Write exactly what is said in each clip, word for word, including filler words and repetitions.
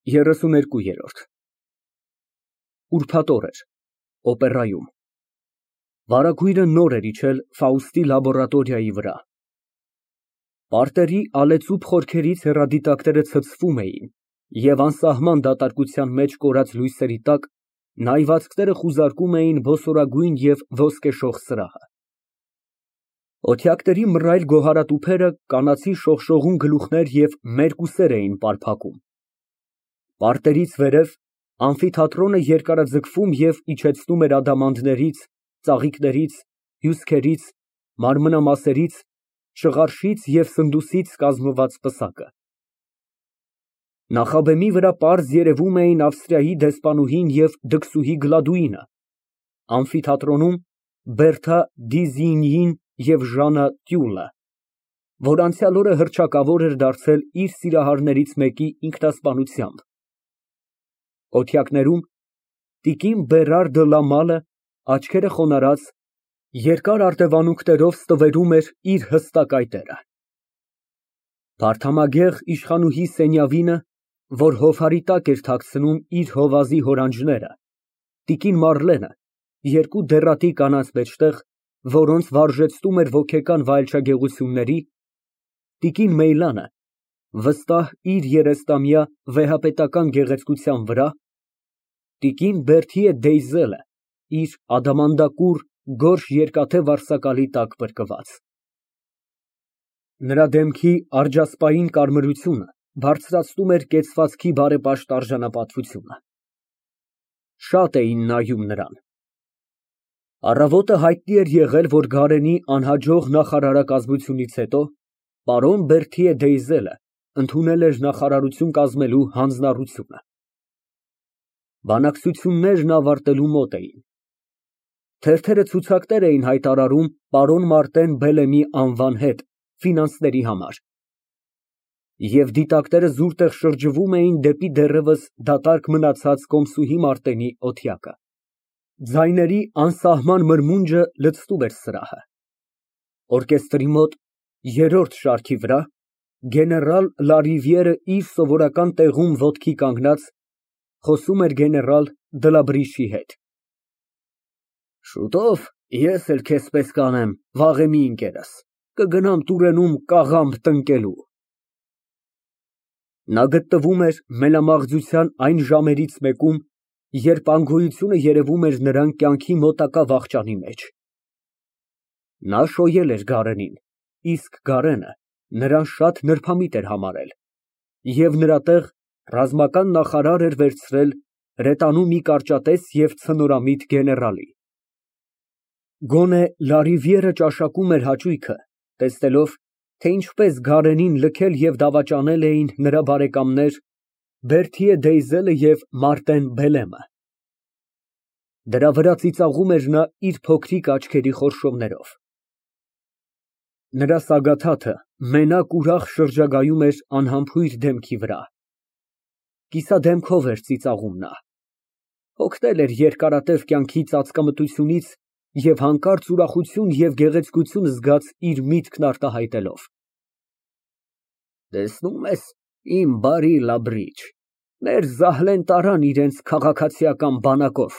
ԵՐԵՍՈՒՆԵՐԿՈՒԵՐՈՐԴ Ուրբաթ օր էր, օպերայում։ Վարագույրը նոր էր իջել Ֆաուստի լաբորատորիայի վրա։ Պարտերի ալեծուփ խորքերից հեռադիտակները ցցվում էին, և անսահման դատարկության մեջ կորած լույսերի տակ նայվածքները խուզարկում էին բոսորագույն և ոսկեշող սրահը։ Օթյակների մռայլ գոհարատուփերը կանացի շողշողուն գլուխներ և մերկ ուսեր էին պարփակում։ Պարտերից վերև ամֆիթատրոնը երկարաձգվում և իջեցնում էր ադամանդներից, ծաղիկներից, հյուսքերից, մանրամասներից, շղարշից և սնդուսից կազմված պսակը։ Նախաբեմի վրա պարզ երևում էին Ավստրիայի դեսպանուհին և դքսուհի Գլադուինը, ամֆիթատրոնում Բերթա Դիզինյին և Ժաննա Տյուլը, որ անցյալ օրը հռչակավոր էր դարձել իր սիրահարներից մեկի ինքնասպանությամբ, օթյակներում տիկին Բերար դը Լա Մալը, աչքերը խոնարհած, երկար արտևանունքներով ստվերում էր իր հստակ այտերը։ Վարդամագեղ իշխանուհի Սենյավինը, որ հովհարի տակ էր թաքցնում իր հովազի հորանջները, տիկին Մարլենը, երկու դեռատի կանանց մեջտեղ, որոնց վարժեցնում էր ոգեկան վայելչագեղությունների, տիկին Մեյլանը, վստահ իր երեստամյա վեհապետական գեղեցկության վրա, տիկին Բերթիե Դեյզելը, իր ադամանդակուռ, գորշ երկաթե վարսակալի տակ պրկված։ Նրա դեմքի արջասպային կարմրությունը բարձրացնում էր կեցվածքի բարեպաշտ արժանապատվությունը։ Շատ էին նայում նրան։ Առավոտը հայտնի էր եղել, որ Գարենի անհաջող նախարարակազմությունից հետո պարոն Բերթիե Դեյզելը ընդունել էր նախարարություն կազմելու հանձնառությունը։ Բանակցություններն ավարտելու մոտ էին։ Թերթերը ցուցակներ էին հայտարարում պարոն Մարտեն Բելեմի անվան հետ ֆինանսների համար, և դիտակները զուրտեղ շրջվում էին դեպի դեռևս դատարկ մնացած կոմսուհի Մարտենի օթյակը։ Ձայների անսահման մրմունջը լցնում էր սրահը։ Օրկեստրի մոտ, երրորդ շարքի վրա, գեներալ Լարիվիերը իր սովորական տեղում ոտքի կանգնած, խոսում էր գեներալ Դլաբրիշի հետ։ Շուտով ես էլ քեզ պես կանեմ, վաղեմի ընկերս, կգնամ Տուրենում կաղամբ տնկելու։ Նա գտնվում էր մենամաղձության այն ժամերից մեկում, երբ անգոյությունը երևում էր նրան կյանքի մոտակա վախճանի մեջ։ Նա շոյել էր Գարենին, իսկ Գարենը նրան շատ նրբամիտ էր համարել, և նրա տեղ ռազմական նախարար էր վերցրել հրետանու մի կարճատես և ցնորամիտ գեներալի։ Գոնե Լարիվիերը ճաշակում էր հաճույքը, տեսնելով, թե ինչպես Գարենին լքել և դավաճանել էին նրա բարեկամներ Բերթիե Դեյզելը և Մարտեն Բելեմը։ Դրա վրա ծիծաղում էր նա իր փոքրիկ աչքերի խորշումներով։ Նրա սագաթաթը մենակ ուրախ շրջագայում էր անհամբույր դեմքի վրա։ Կիսադեմքով էր ծիծաղում նա։ Հոգնել էր երկարատև կյանքի ծածկամտությունից և հանկարծ ուրախություն և գեղեցկություն զգաց իր միտքն արտահայտելով։ Տեսնում ես, իմ բարի Լաբրիջ, մեր Զահլեն տարան իրենց քաղաքացիական բանակով,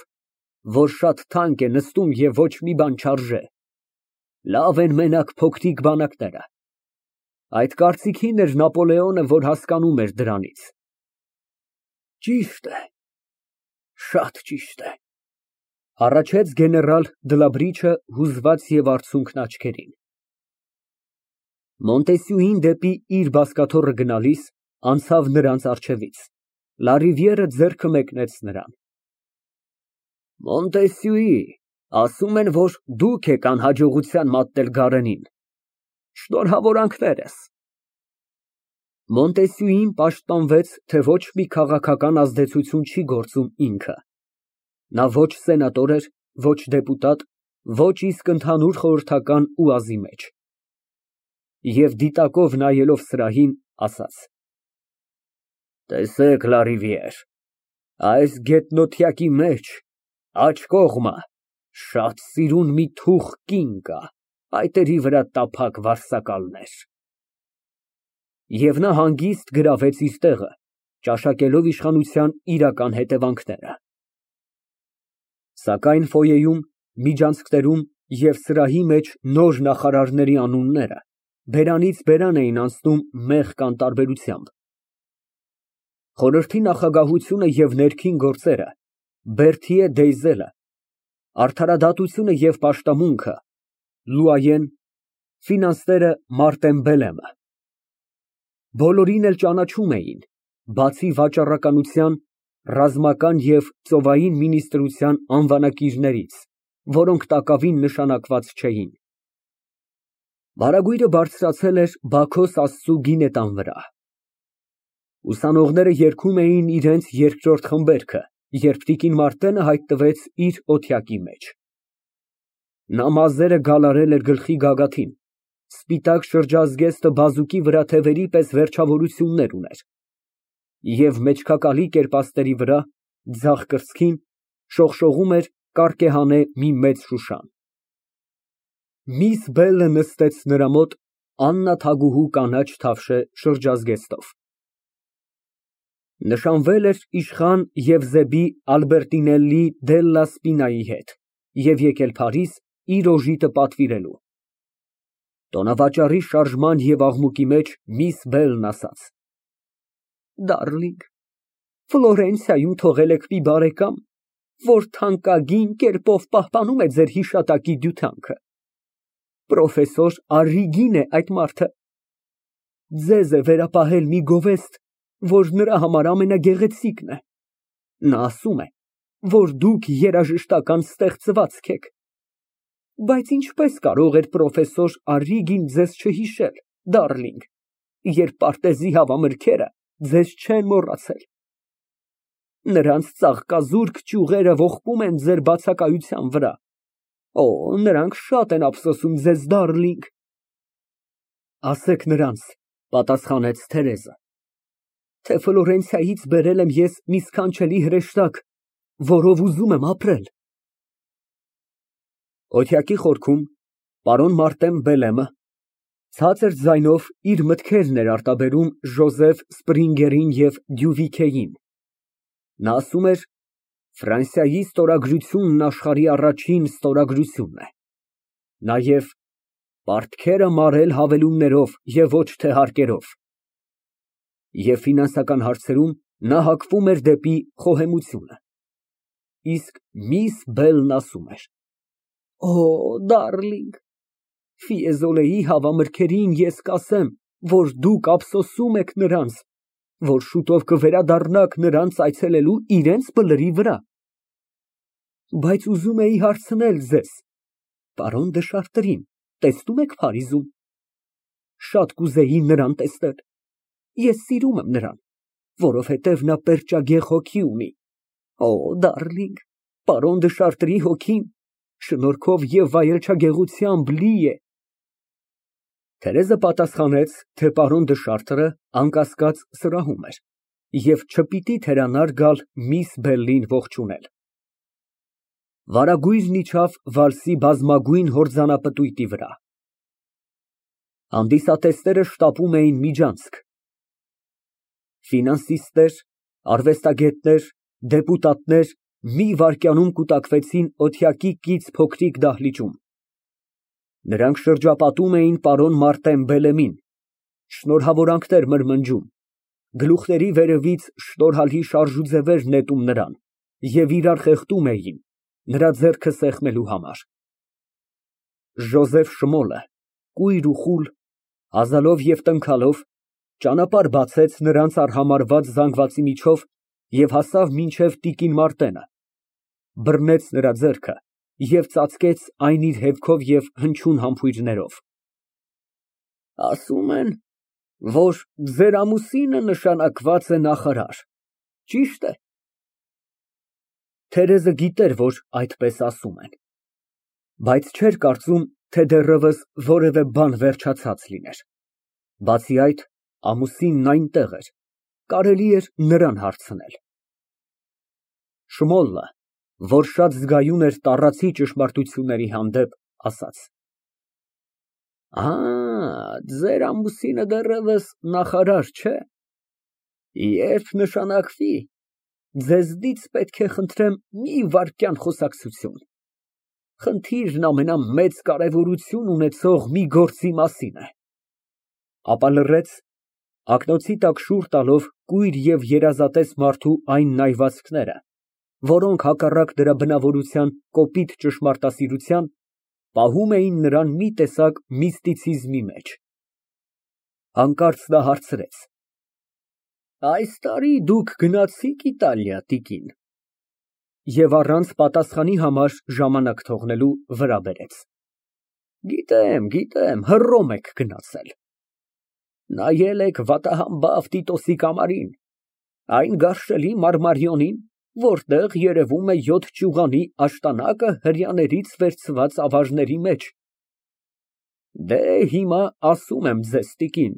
որ շատ թանկ է նստում և ոչ մի բան չարժե։ Լավ են մենակ փոքրիկ բանակները։ Այդ կարծիքին էր Նապոլեոնը, որ հասկանում էր դրանից։ Ճիշտ է, շատ ճիշտ է, հառաչեց գեներալ Դլաբրիչը հուզված և արցունքն աչքերին։ Մոնտեսյուին դեպի իր բազկաթոռը գնալիս անցավ նրանց առջևից, Լարիվիերը ձեռքը մեկնեց նրան։ Մոնտեսյուի, ասում են, որ դուք եք անհաջողության մատնել Գարենին։ Շնորհավորանքներս։ Մոնտեսյուին պաշտպանվեց, թե ոչ մի քաղաքական ազդեցություն չի գործում ինքը։ Նա ոչ սենատոր էր, ոչ դեպուտատ, ոչ իսկ ընդհանուր խորհրդական ուազի մեջ։ Եվ դիտակով նայելով սրահին, ասաց. Տեսեք, Լարիվիեր, այս գետնօթյակի մեջ, աջ կողմը, շատ սիրուն մի թուխ կին կա, փայտերի վրա տափակ վարսակալներ։ Եվ նա հանգիստ գրավեց իր տեղը, ճաշակելով իշխանության իրական հետևանքները։ Սակայն ֆոյեում, միջանցքներում և սրահի մեջ նոր նախարարների անունները բերանից բերան էին անցնում մեղք անտարբերությամբ։ Խորհրդի նախագահությունը և ներքին գործերը Բերթիե Դեյզելը, արդարադատությունը և պաշտամունքը Լուայեն, ֆինանսները Մարտեն Բելեմը։ Բոլորին էլ ճանաչում էին, բացի վաճառականության, ռազմական և ծովային մինիստրության անվանակիրներից, որոնք տակավին նշանակված չէին։ Վարագույրը բարձրացել էր Բաքոս Աստծու գինետան վրա։ Ուսանողները երգում էին իրենց երկրորդ խմբերգը, երբ տիկին Մարտենը հայտնվեց իր օթյակի մեջ։ Նա մազերը գալարել էր գլխի գագաթին, սպիտակ շրջազգեստը բազուկի վրա թևերի պես վերջավորություններ ուներ և մեջքակալի կերպասների վրա, ձախ կրծքին, շողշողում էր կարկեհանե մի մեծ շուշան։ Միս Բելը նստեց նրա մոտ աննաթագուհու կանաչ թավշե շրջազգեստով։ Նշանվել էր իշխան Եվզեբի Ալբերտինելլի դելլա Սպինայի հետ և եկել Փարիզ իր օժիտը պատվիրելու։ Տոնավաճառի շարժման և աղմուկի մեջ միս Բելն ասաց. Դարլինգ, Ֆլորենցիայում թողել եք մի բարեկամ, որ թանկագին կերպով պահպանում է ձեր հիշատակի դյությանքը։ Պրոֆեսոր Առրիգին է այդ մարդը։ Ձեզ է վերապահել մի գովեստ, որ նրա համար ամենագեղեցիկն է։ Նա ասում է, որ դուք երաժշտական ստեղծվածք եք։ Բայց ինչպես կարող էր պրոֆեսոր Առրիգին ձեզ չհիշել, դարլինգ, երբ պարտեզի հավամրգերը ձեզ չեն մոռացել։ Նրանց ծաղկազուրկ ճյուղերը ողբում են ձեր բացակայության վրա։ Օ, նրանք շատ են ափսոսում ձեզ, դարլինգ։ Ասեք նրանց, պատասխանեց Թերեզը, թե Ֆլորենցիայից բերել եմ ես մի սքանչելի հրեշտակ, որով ուզում եմ ապրել։ Օթյակի խորքում պարոն Մարտեն Բելեմը ցածր ձայնով իր մտքերն էր արտաբերում Ժոզեֆ Սպրինգերին և Դյուվիքեին։ Նա ասում էր. Ֆրանսիայի ստորագրությունն աշխարհի առաջին ստորագրությունն է։ Նաև պարտքերը մարել հավելումներով և ոչ թե հարկերով։ Եվ ֆինանսական հարցերում նա հակվում էր դեպի խոհեմությունը։ Իսկ միս Բելն ասում էր. Օ, դարլինգ, Ֆիեզոլեի հավամրգերին ես կասեմ, որ դուք ափսոսում եք նրանց, որ շուտով կվերադառնաք նրանց այցելելու իրենց բլրի վրա։ Բայց ուզում էի հարցնել ձեզ, պարոն դը Շարտրին տեսնո՞ւմ եք Փարիզում։ Շատ կուզեի նրան տեսնել։ Ես սիրում եմ նրան, որովհետև նա պերճագեղ հոգի ունի։ Օ, դարլինգ, պարոն դը Շարտրի հոգին շնորհքով և վայելչագեղությամբ լի է։ Թերեզը պատասխանեց, թե պարոն դը Շարտրը անկասկած սրահում էր և չպիտի թերանար գալ միս Բելլին ողջունել։ Վարագույրն իջավ վալսի բազմագույն հորձանապտույտի վրա։ Հանդիսատեսները շտապում էին միջանցք։ Ֆինանսիստներ, արվեստագետներ, դեպուտատներ մի վայրկյանում կուտակվեցին օթյակի կից փոքրիկ դահլիճում։ Նրանք շրջապատում էին պարոն Մարտեն Բելեմին, շնորհավորանքներ մրմնջում, գլուխների վերևից շնորհալի շարժուձևեր նետում նրան և իրար խեղդում էին, նրա ձեռքը սեղմելու համար։ Ժոզեֆ Շմոլը, կույր ու խուլ, հազալով և տնքալով, ճանապարհ բացեց նրանց արհամարհված զանգվածի միջով և հասավ մինչև տիկին Մարտենը, բռնեց նրա ձեռքը և ծածկեց այն իր հետքով և հնչյուն համբույրներով։ Ասում են, որ ձեր ամուսինը նշանակված է նախարար, ճի՞շտ է։ Թերեզը գիտեր, որ այդպես ասում են, բայց չէր կարծում, թե դեռևս որևէ բան վերջացած լիներ։ Բացի այդ, ամուսինն այնտեղ էր, կարելի էր նրան հարցնել։ Շմոլը, որ շատ զգայուն էր տառացի ճշմարտությունների հանդեպ, ասաց. Ա, ձեր ամուսինը դեռևս նախարար չէ։ Երբ նշանակվի, ձեզնից պետք է խնդրեմ մի վայրկյան խոսակցություն, խնդիրն ամենամեծ կարևորություն ունեցող մի գործի մասին է։ Ապա լռեց, ակնոցի տակ շուռ տալով կույր և երազատես մարդու այն նայվածքները, որոնք հակառակ դրա բնավորության կոպիտ ճշմարտասիրության, պահում էին նրան մի տեսակ միստիցիզմի մեջ։ Հանկարծ նա հարցրեց. Այս տարի դուք գնացի՞ք Իտալիա, տիկին։ Եվ առանց պատասխանի համար ժամանակ թողնելու վրա բերեց. Գիտեմ, գիտեմ, Հռոմ եք գնացել։ Նայել եք վատահամբավ Տիտոսի կամարին, այն գարշելի մարմարիոնին, որտեղ երևում է յոթ ճյուղանի աշտանակը հրեաներից վերցված ավարների մեջ։ Դե հիմա ասում եմ ձեզ, տիկին,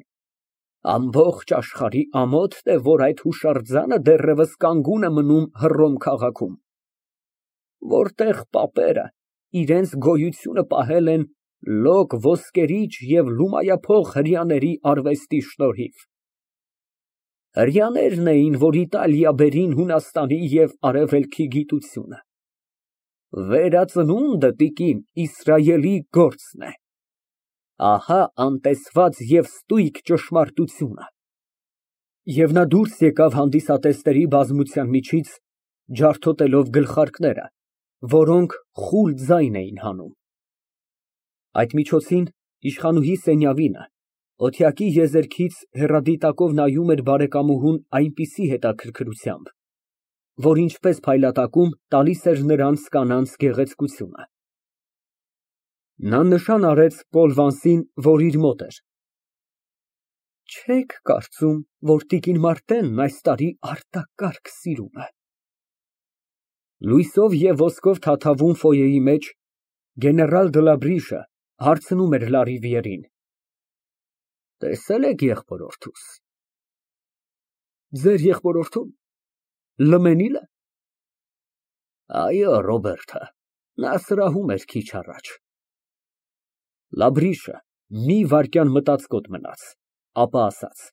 ամբողջ աշխարհի ամոթն է, որ այդ հուշարձանը դեռևս կանգուն է մնում Հռոմ քաղաքում, որտեղ պապերը իրենց գոյությունը պահել են լոկ ոսկերիչ և լումայափող հրեաների արվեստի շնորհիվ։ Հրեաներն էին, որ Իտալիա բերին Հունաստանի և Արևելքի գիտությունը։ Վերածնունդը, տիկին, Իսրայելի գործն է։ Ահա անտեսված և ստույգ ճշմարտությունը։ Եվ նա դուրս եկավ հանդիսատեսների բազմության միջից, ջարդոտելով գլխարկները, որոնք խուլ ձայն էին հանում։ Այդ միջոցին իշխանուհի Սենյավինը օթյակի եզերքից հեռադիտակով նայում էր բարեկամուհուն այնպիսի հետաքրքրությամբ, որ ինչպես փայլատակում տալիս էր նրանց կանանց գեղեցկությունը։ Նա նշան արեց Պոլ Վանսին, որ իր մոտ էր։ Չե՞ք կարծում, որ տիկին Մարտենն այս տարի արտակարգ սիրում է։ Լույսով և ոսկով թաթավում ֆոյեի մեջ գեներալ Դլաբրիշը հարցնում էր Լարիվիերին. Տեսե՞լ եք եղբորորդուս։ Ձեր եղբորորդո՞ւն։ Լմենի՞լը։ Այո, Ռոբերտը, նա սրահում էր քիչ առաջ։ Լաբրիշը մի վայրկյան մտածկոտ մնաց, ապա ասաց.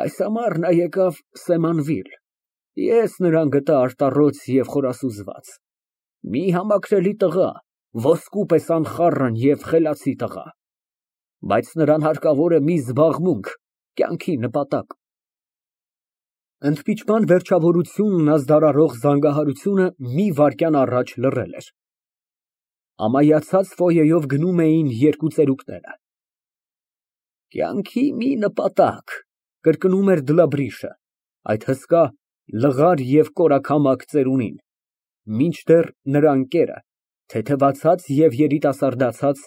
Այս ամառ նա եկավ Սեմանվիլ, ես նրան գտա արտառոց և խորասուզված, մի համակրելի տղա, ոսկու պես անխառն և խելացի տղա, բայց նրան հարկավոր է մի զբաղմունք, կյանքի նպատակ։ Ընդպիճման վերջավորությունն ազդարարող զանգահարությունը մի վայրկյան առաջ լռել էր։ Ամայացած ֆոյեով գնում էին երկու ծերուկները։ Կյանքի մի նպատակ, կրկնում էր Դլաբրիշը, այդ հսկա, լղար և կորակամակ ծերունին, մինչդեռ նրա ընկերը, թեթևացած և երիտասարդացած,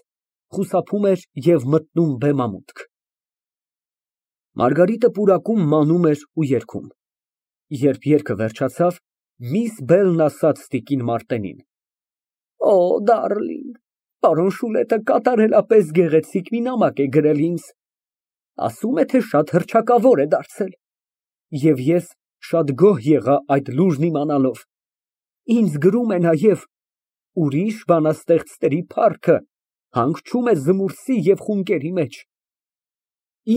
խուսափում էր և մտնում բեմամուտք։ Մարգարիտը պուրակում մանում էր ու երգում։ Երբ երգը վերջացավ, միս Բելն ասաց տիկին Մարտենին. Օ, դարլինգ, պարոն Շուլետը կատարելապես գեղեցիկ մի նամակ է գրել ինձ, ասում է, թե շատ հռչակավոր է դարձել, և ես շատ գոհ եղա այդ լուրն իմանալով։ Ինձ գրում է նաև. ուրիշ բանաստեղծների փառքը հանգչում է զմուրսի և խունկերի մեջ,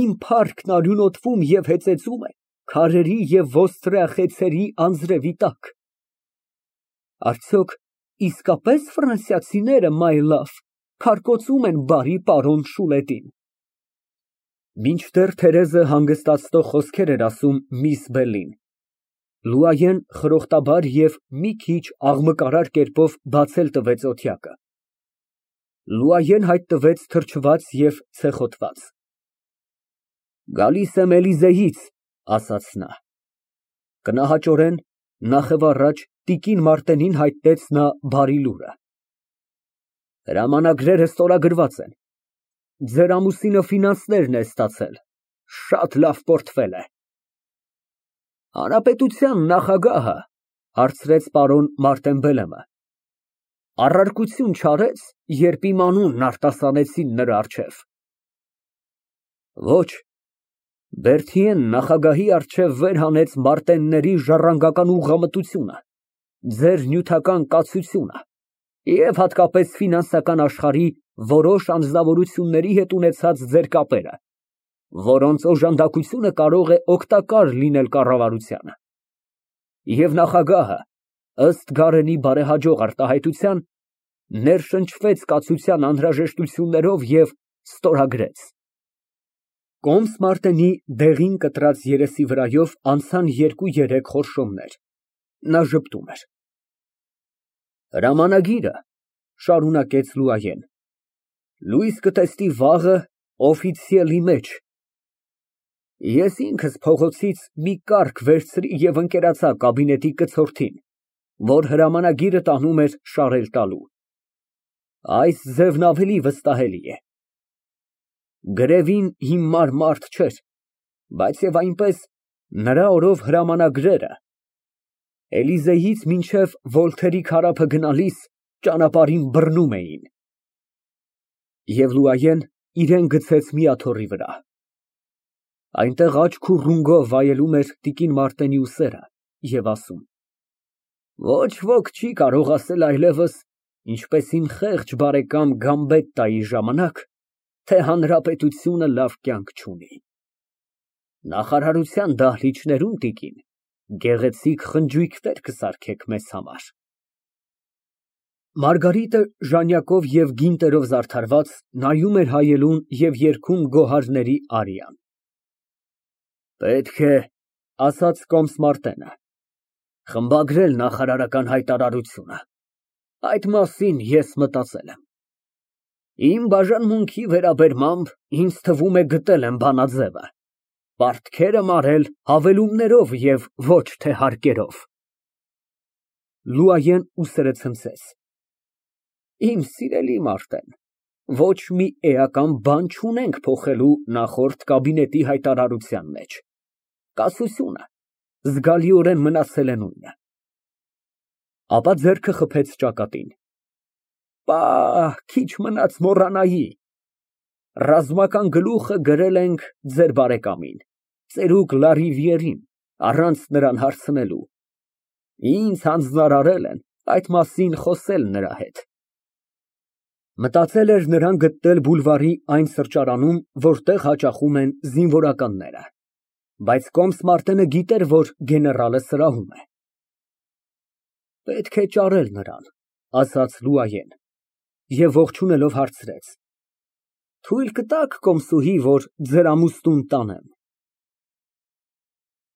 իմ փառքն արյունոտվում և հեծեծում է քարերի և ոստրեախեցերի անձրևի տակ։ Արդյոք իսկապես ֆրանսիացիները, մայ լավ, քարկոծում են բարի պարոն Շուլետին։ Մինչդեռ Թերեզը հանգստացնող խոսքեր էր ասում միս Բելին, Լուայեն խրոխտաբար և մի քիչ աղմկարար կերպով բացել տվեց օթյակը։ Լուայեն հայտնվեց թրջված և ցեխոտված։ Գալիս եմ Էլիզեից, ասաց նա։ Կնահաճորեն, նախև տիկին Մարտենին հայտնեց նա բարի լուրը։ Հրամանագրերը ստորագրված են։ Ձեր ամուսինը ֆինանսներն է ստացել, շատ լավ պորտֆել է։ Հանրապետության նախագահը, հարցրեց պարոն Մարտեն առարկություն չարեց, երբ իմ անունն արտասանեցին նրա առջև։ Ոչ, Բերթիեն նախագահի առջև վեր հանեց Մարտենների ժառանգական ուղղամտությունը, ձեր նյութական կացությունը և հատկապես ֆինանսական աշխարհի որոշ անձնավորությունների հետ ունեցած ձեր կապերը։ որոնց օժանդակությունը կարող է օգտակար լինել կառավարությանը։ Եվ նախագահը, ըստ Գարենի բարեհաջող արտահայտության, ներշնչվեց կացության անհրաժեշտություններով և ստորագրեց։ Կոմս Մարտենի դեղին կտրած երեսի վրայով անցան երկու֊երեք խորշոմներ, նա ժպտում էր։ Հրամանագիրը, շարունակեց Լուայեն, լույս կտեսնի վաղը օֆիցիալի մեջ։ Ես ինքս փողոցից մի կառք վերցրի և ընկերացա կաբինետի կցորդին, որ հրամանագիրը տանում էր շարել տալու։ Այս ձևն ավելի վստահելի է։ Գրևին հիմար մարդ չէր, բայց և այնպես նրա օրով հրամանագրերը Էլիզեյից մինչև Վոլթերի քարափը գնալիս ճանապարհին բռնում էին։ Եվ Լուայեն իրան գցեց մի աթոռի վրա։ Այնտեղ աչք ու ռունգով վայելում էր տիկին Մարտենի ուսերը և ասում. Ոչ ոք չի կարող ասել այլևս, ինչպես իմ խեղճ բարեկամ Գամբետտայի ժամանակ, թե հանրապետությունը լավ կյանք չունի։ Նախարարության դահլիճներում, տիկին, գեղեցիկ խնջույքներ կսարքեք մեզ համար։ Մարգարիտը ժանյակով և գինտերով զարդարված նայում էր հայելուն և երգում գոհարների արիան։ Պետք է, ասաց կոմս Մարտենը, խմբագրել նախարարական հայտարարությունը, այդ մասին ես մտածել եմ։ Իմ բաժանմունքի վերաբերմամբ ինձ թվում է գտել եմ բանաձևը, պարտքերը մարել հավելումներով և ոչ թե հարկերով։ Լուայեն ուսերը ցնցեց։ Իմ սիրելի Մարտեն, ոչ մի էական բան չունենք փոխելու նախորդ կաբինետի հայտարարության մեջ, կասությունը զգալիորեն մնացել է նույնը։ Ապա ձեռքը խփեց ճակատին։ Պահ, քիչ մնաց մոռանայի, ռազմական գլուխը գրել ենք ձեր բարեկամին, ծերուկ Լարիվիերին, առանց նրան հարցնելու։ Ինձ հանձնարարել են այդ մասին խոսել նրա հետ։ Մտածել էր նրան գտնել բուլվարի այն սրճարանում, որտեղ հաճախում են զինվորականները, բայց կոմս Մարտենը գիտեր, որ գեներալը սրահում է։ Պետք է ճարել նրան, ասաց Լուայեն, և ողջունելով հարցրեց. Թույլ կտա՞ք, կոմսուհի, որ ձեր ամուսնուն տանեմ։